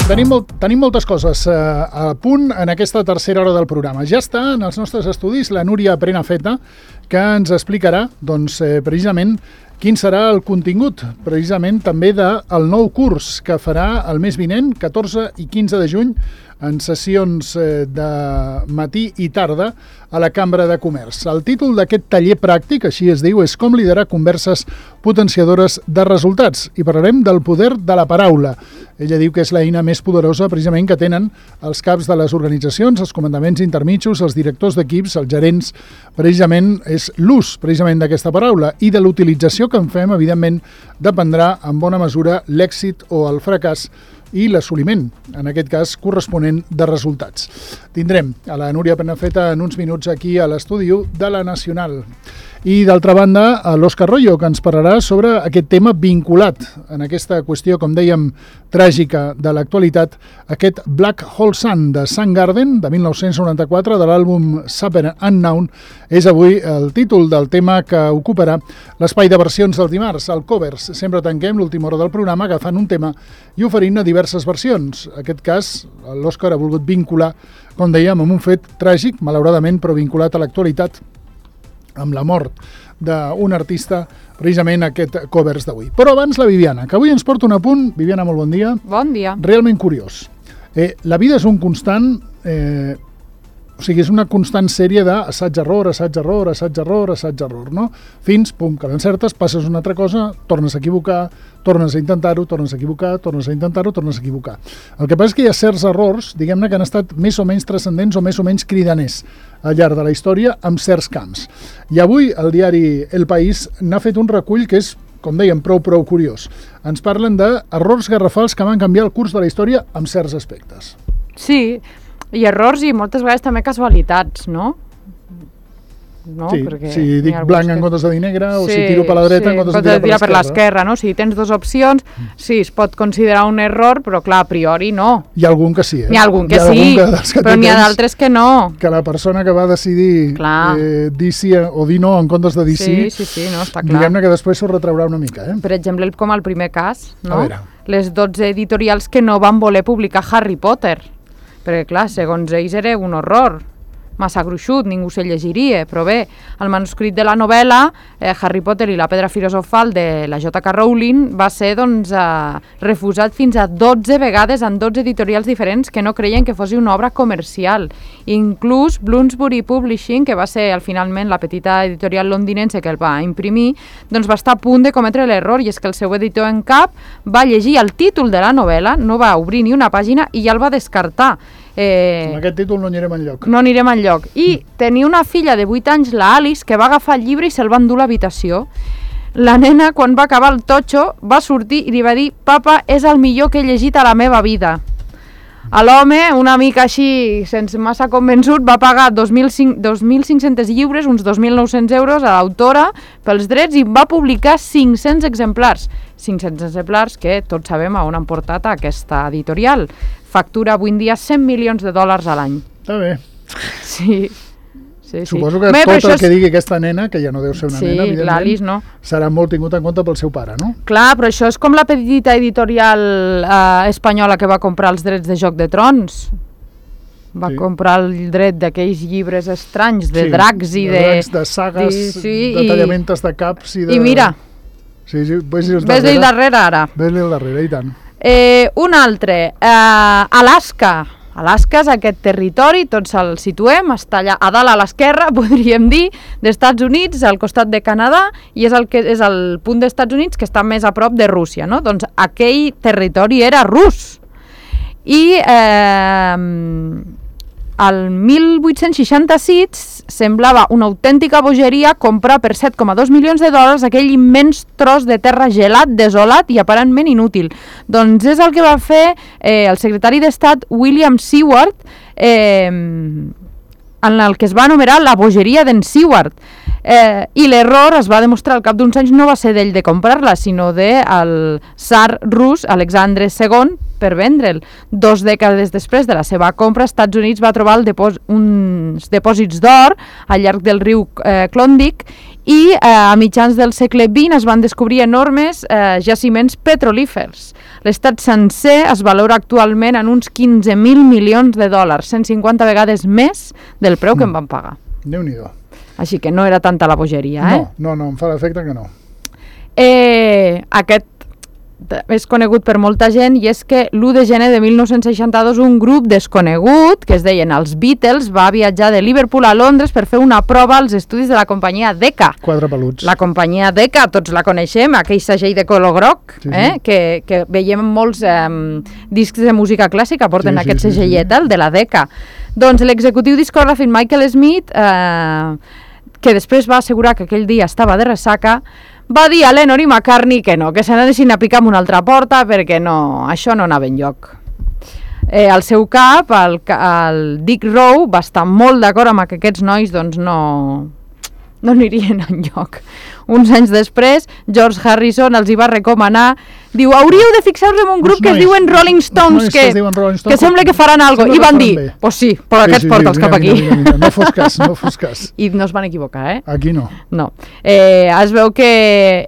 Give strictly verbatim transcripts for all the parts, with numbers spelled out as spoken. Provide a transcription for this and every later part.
tenim, molt, tenim moltes coses eh, a punt en aquesta tercera hora del programa. Ja està en els nostres estudis la Núria Prenafeta, que ens explicarà doncs, eh, precisament quin serà el contingut, precisament també del nou curs que farà el mes vinent, catorze i quinze de juny, en sessions de matí i tarda a la Cambra de Comerç. El títol d'aquest taller pràctic, així es diu, és Com liderar converses potenciadores de resultats. I parlarem del poder de la paraula. Ella diu que és l'eina més poderosa precisament que tenen els caps de les organitzacions, els comandaments intermitjos, els directors d'equips, els gerents. Precisament és l'ús precisament d'aquesta paraula i de l'utilització que en fem, evidentment, dependrà en bona mesura l'èxit o el fracàs i l'assoliment, en aquest cas corresponent de resultats. Tindrem a la Núria Prenafeta en uns minuts aquí a l'estudi de la Nacional. I d'altra banda, a l'Òscar Royo, que ens parlarà sobre aquest tema vinculat en aquesta qüestió, com dèiem, tràgica de l'actualitat, aquest Black Hole Sun de Soundgarden, de mil nou-cents noranta-quatre, de l'àlbum Super Unknown, és avui el títol del tema que ocuparà l'espai de versions del dimarts, el Covers. Sempre tanquem l'última hora del programa agafant un tema i oferint-ne diverses versions. En aquest cas, l'Òscar ha volgut vincular, com dèiem, amb un fet tràgic, malauradament, però vinculat a l'actualitat, amb la mort d'un artista, precisament aquest Covers d'avui. Però abans la Viviana, que avui ens porta un apunt. Viviana, molt bon dia. Bon dia. Realment curiós. Eh, la vida és un constant... Eh, o sigui, és una constant sèrie d'assaig-error, assaig-error, assaig-error, assaig-error, no? Fins, pum, que l'encertes, passes una altra cosa, tornes a equivocar, tornes a intentar-ho, tornes a equivocar, tornes a intentar-ho, tornes a equivocar. El que passa és que hi ha certs errors, diguem-ne, que han estat més o menys transcendents o més o menys cridaners al llarg de la història amb certs camps. I avui el diari El País n'ha fet un recull que és, com dèiem, prou, prou curiós. Ens parlen d'errors garrafals que van canviar el curs de la història amb certs aspectes. Sí, i errors i moltes vegades també casualitats, no? No? Sí, Perquè si dic blanc en comptes de dir negre, o sí, si tiro per la dreta sí, en comptes de tirar, tirar per l'esquerra, no? Si tens dues opcions, sí, es pot considerar un error, però clar, a priori no. Hi ha algun que sí, eh? Hi ha algun que hi ha sí, algun que, que però n'hi ha d'altres que no. Que la persona que va decidir eh, dir sí o dir no en comptes de dir sí, sí, sí, sí, no, està clar. Diguem-ne que després s'ho retraurà una mica, eh? Per exemple, com el primer cas, no? A veure. Les dotze editorials que no van voler publicar Harry Potter, perquè clar, segons ells era un horror, massa gruixut, ningú se llegiria, però bé, el manuscrit de la novel·la, eh, Harry Potter i la pedra filosofal de la J K Rowling, va ser doncs, eh, refusat fins a dotze vegades en dotze editorials diferents que no creien que fos una obra comercial. Inclús Bloomsbury Publishing, que va ser al finalment la petita editorial londinense que el va imprimir, doncs va estar a punt de cometre l'error, i és que el seu editor en cap va llegir el títol de la novel·la, no va obrir ni una pàgina i ja el va descartar. Eh, amb aquest títol no anirem enlloc. No anirem enlloc. I tenia una filla de vuit anys, la Alice, que va agafar el llibre i se'l va endur a l'habitació. La nena, quan va acabar el totxo, va sortir i li va dir: «Papa, és el millor que he llegit a la meva vida». A l'home, una mica així, sense massa convençut, va pagar dos mil cinc-cents lliures, uns dos mil nou-cents euros a l'autora pels drets, i va publicar cinc-cents exemplars. cinc-cents exemplars que tots sabem on han portat a aquesta editorial. Factura avui en dia cent milions de dòlars a l'any. Està bé. Sí. Sí, sí. Suposo que Bé, tot el és... que digui aquesta nena, que ja no deu ser una sí, nena, evidentment, no. serà molt tingut en compte pel seu pare, no? Clar, però això és com la petita editorial eh, espanyola que va comprar els drets de Joc de Trons. Va sí. comprar el dret d'aquells llibres estranys, de sí, dracs i de... dracs, de sagues, de, sí, de tallamentes de caps i de... I mira, sí, sí, ves-li ves darrere, darrere ara. Ves-li al darrere, i tant. Eh, un altre, eh, Alaska. Alaska és aquest territori, tots el situem, està allà a dalt a l'esquerra, podríem dir, d'Estats Units, al costat de Canadà, i és el, que, és el punt d'Estats Units que està més a prop de Rússia, no? Doncs aquell territori era rus. I eh, el mil vuit-cents seixanta-sis semblava una autèntica bogeria comprar per set coma dos milions de dòlars aquell immens tros de terra gelat, desolat i aparentment inútil. Doncs és el que va fer eh, el secretari d'Estat William Seward, eh, en el que es va anomenar la bogeria d'en Seward. Eh, I l'error es va demostrar al cap d'uns anys no va ser d'ell de comprar-la, sinó del tsar rus Alexandre segon per vendre'l. Dos dècades després de la seva compra, als Estats Units va trobar el depòs uns dipòsits d'or al llarg del riu eh, Klondike i eh, a mitjans del segle vint es van descobrir enormes eh, jaciments petrolífers. L'estat sencer es valora actualment en uns quinze mil milions de dòlars, cent cinquanta vegades més del preu que en van pagar. Déu-n'hi-do. Així que no era tanta la bogeria, eh? No, no, no, em fa l'efecte que no. Eh, aquest és conegut per molta gent i és que l'u de gener de mil nou-cents seixanta-dos un grup desconegut, que es deien els Beatles, va viatjar de Liverpool a Londres per fer una prova als estudis de la companyia Decca. Quatre peluts. La companyia Decca, tots la coneixem, aquell segell de color groc, sí, sí. Eh? Que, que veiem molts eh, discs de música clàssica, porten sí, aquest sí, segellet, sí, sí. El de la Decca. Doncs l'executiu discogràfic Michael Smith, eh, que després va assegurar que aquell dia estava de ressaca, va dir a Lennon i McCartney que no, que se n'anessin a picar amb una altra porta perquè no, això no anava enlloc. Eh, al seu cap, el, el Dick Rowe va estar molt d'acord amb que aquests nois doncs, no, no anirien enlloc. Uns anys després, George Harrison els hi va recomanar, diu, hauríeu de fixar-vos en un grup que es diuen Rolling Stones, que, que sembla que faran alguna cosa. I van dir, pues sí, però aquests porta'ls cap aquí. No fos cas, no fos cas. I no es van equivocar, eh? Aquí no. No. Eh, es veu que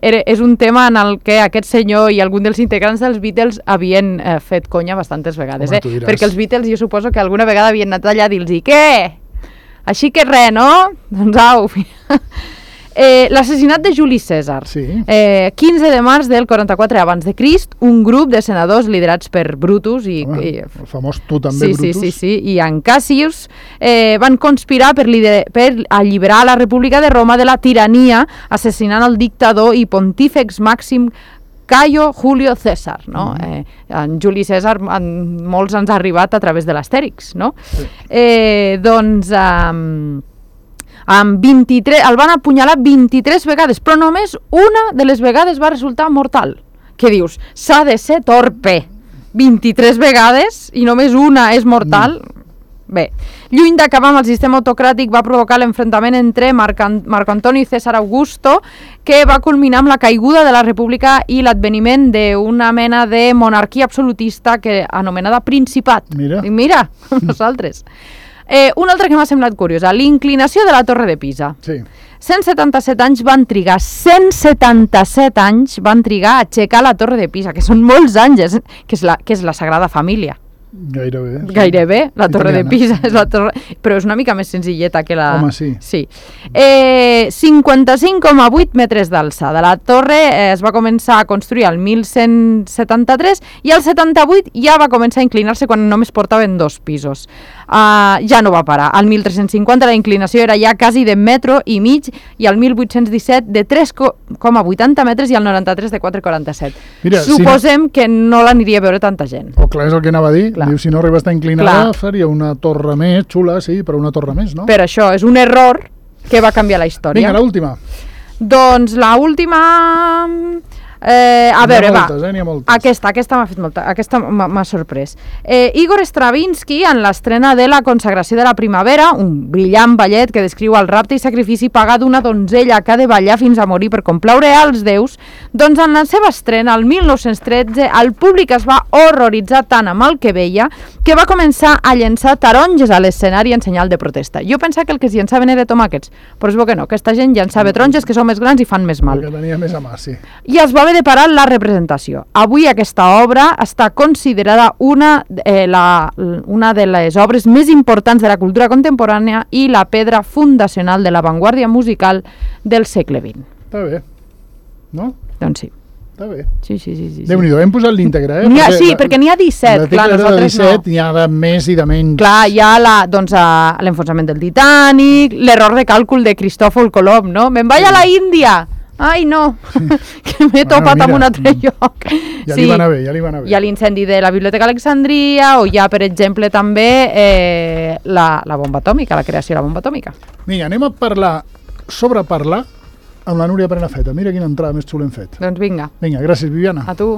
era, és un tema en el que aquest senyor i algun dels integrants dels Beatles havien eh, fet conya bastantes vegades, eh? Perquè els Beatles jo suposo que alguna vegada havien anat allà a dir-los, què? Així que res, no? Doncs au. Eh, l'assassinat de Juli Cèsar. Sí. Eh, quinze de març del quaranta-quatre abans de Crist, un grup de senadors liderats per Brutus i, Home, i el famós tu també, sí, Brutus. Sí, sí, sí, i en Cassius eh, van conspirar per, lider, per alliberar la República de Roma de la tirania, assassinant el dictador i pontífex màxim Caio Julio César, no? Mm. eh, en Juli Cèsar en, molts ens ha arribat a través de l'Astèrix, no? Sí. Eh, doncs um, amb vint-i-tres, el van apunyalar vint-i-tres vegades, però només una de les vegades va resultar mortal. Què dius? S'ha de ser torpe. vint-i-tres vegades i només una és mortal? Mm. Bé, lluny d'acabar amb el sistema autocràtic va provocar l'enfrontament entre Marc, Marc Antoni i César Augusto, que va culminar amb la caiguda de la República i l'adveniment d'una mena de monarquia absolutista que anomenada Principat. Mira. I mira, nosaltres. Eh, una altra que m'ha semblat curiosa, l'inclinació de la Torre de Pisa. Sí. cent setanta-set anys van trigar, cent setanta-set anys van trigar a aixecar la Torre de Pisa, que són molts anys, que és la, que és la Sagrada Família. Gairebé. Sí. Gairebé, la Torre Italiana. de Pisa és la torre, però és una mica més senzilleta que la... Home, sí. Sí. Eh, cinquanta-cinc coma vuit metres d'alçada. La torre eh, es va començar a construir al mil cent setanta-tres i al setanta-vuit ja va començar a inclinar-se quan només portaven dos pisos. Uh, ja no va parar. Al mil tres-cents cinquanta la inclinació era ja quasi de metro i mig i al mil vuit-cents disset de tres coma vuitanta metres i al noranta-tres de quatre coma quaranta-set. Mira, suposem si no... que no l'aniria a veure tanta gent. Oh, clar, és el que anava a dir. Diu, si no arriba a estar inclinada, clar, faria una torre més xula, sí, però una torre més, no? Per això, és un error que va canviar la història. Vinga, l'última. Doncs l'última... Eh, a veure, moltes, va, eh, aquesta, aquesta m'ha fet molta, aquesta m'ha sorprès. Eh, Igor Stravinsky, en l'estrena de La consagració de la primavera, un brillant ballet que descriu el rapte i sacrifici pagat d'una donzella que ha de ballar fins a morir per complaure als déus, doncs en la seva estrena, el mil nou-cents tretze, el públic es va horroritzar tant amb el que veia que va començar a llençar taronges a l'escenari en senyal de protesta. Jo pensava que el que es llençaven era tomàquets, però es veu que no, aquesta gent llençava taronges que són més grans i fan més mal. Perquè tenia més a mà, sí. I es va de parar la representació. Avui aquesta obra està considerada una, eh, la, una de les obres més importants de la cultura contemporània i la pedra fundacional de l'avantguàrdia musical del segle vint. Està bé, no? Doncs sí. Està bé. Sí, sí, sí. sí, sí. Déu-n'hi-do, hem posat l'íntegre, eh? Ha, perquè sí, la, perquè n'hi ha disset, clar, nosaltres disset, no. N'hi ha de més i de menys. Clar, hi ha la, doncs, l'enfonsament del Titanic, l'error de càlcul de Cristòfol Colom, no? Me'n vaig a la Índia! Ai, no, que m'he topat bueno, mira, amb un altre lloc. Ja sí, li va anar bé, ja li va anar bé. Hi ha l'incendi de la Biblioteca Alexandria, o hi ha, per exemple, també eh, la, la bomba atòmica, la creació de la bomba atòmica. Vinga, anem a parlar, sobre parlar, amb la Núria Prenafeta. Mira quina entrada més xula hem fet. Doncs vinga. Vinga, gràcies, Viviana. A tu.